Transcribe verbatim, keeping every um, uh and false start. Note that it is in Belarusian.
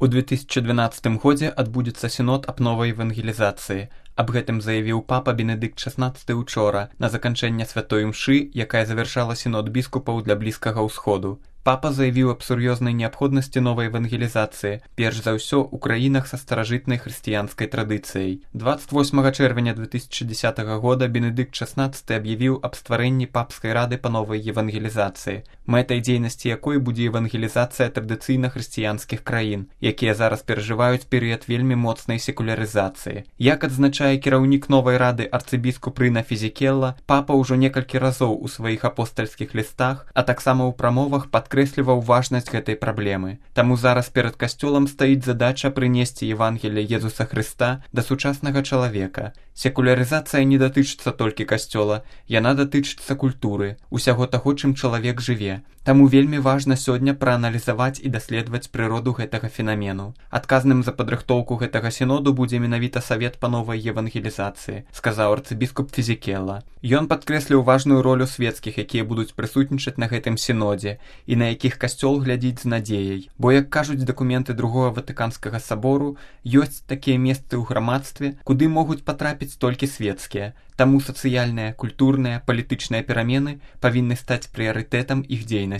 У две тысячи двенадцатым годзе адбудзецца сінод аб новай евангелізацыі. Аб гэтым заявіў папа Бенедыкт шаснаццаты учора на заканчэнне святой імшы, якая завяршала сінод біскупаў для Блізкага ўсходу. Папа заявіў аб сур'ёзнай неабходнасці новай евангелізацыі, перш за ўсё ў краінах са старажытнай хрысціянскай традыцыяй. дваццаць восьмага чэрвеня две тысячи дзесятага года Бенедыкт шаснаццаты аб'явіў аб стварэнні папскай рады па новай евангелізацыі, мэтай дзейнасці якой будзе евангелізацыя традыцыйна хрысціянскіх краін, якія зараз перажываюць перыяд вельмі моцнай секулярызацыі. Як адзначае кіраўнік новай рады арцыбіскуп Рына Фізікелла, папа ўжо некалькі разоў у сваіх апостальскіх лістах, а таксама ў прамовах падкрэсліваў важнасць гэтай праблемы. Таму зараз перад касцёлам стаіць задача прынесці Евангелие Езуса Хрыста да сучаснага чалавека. Секулярызацыя не датычыцца толькі касцёла, яна датычыцца культуры, усяго таго, чым чалавек жыве. Таму вельмі важна сёння прааналізаваць і даследаваць прыроду гэтага фенамену. Адказным за падрыхтоўку гэтага сіноду будзе менавіта Савет па новай евангелізацыі, сказаў арцыбіскуп Фізікелла. Ён падкрэсліў важную ролю свецкіх, якія будуць прысутнічаць на гэтым сінодзе, і на якіх касцёл глядзіць з надзеяй. Бо, як кажуць дакументы другога Ватыканскага сабору, ёсць такія месцы ў грамадстве, куды могуць патрапіць толькі свецкія. Таму сацыяльныя, культурныя, палітычныя перамены павінны стаць прыярытэтам іх дзейнасці.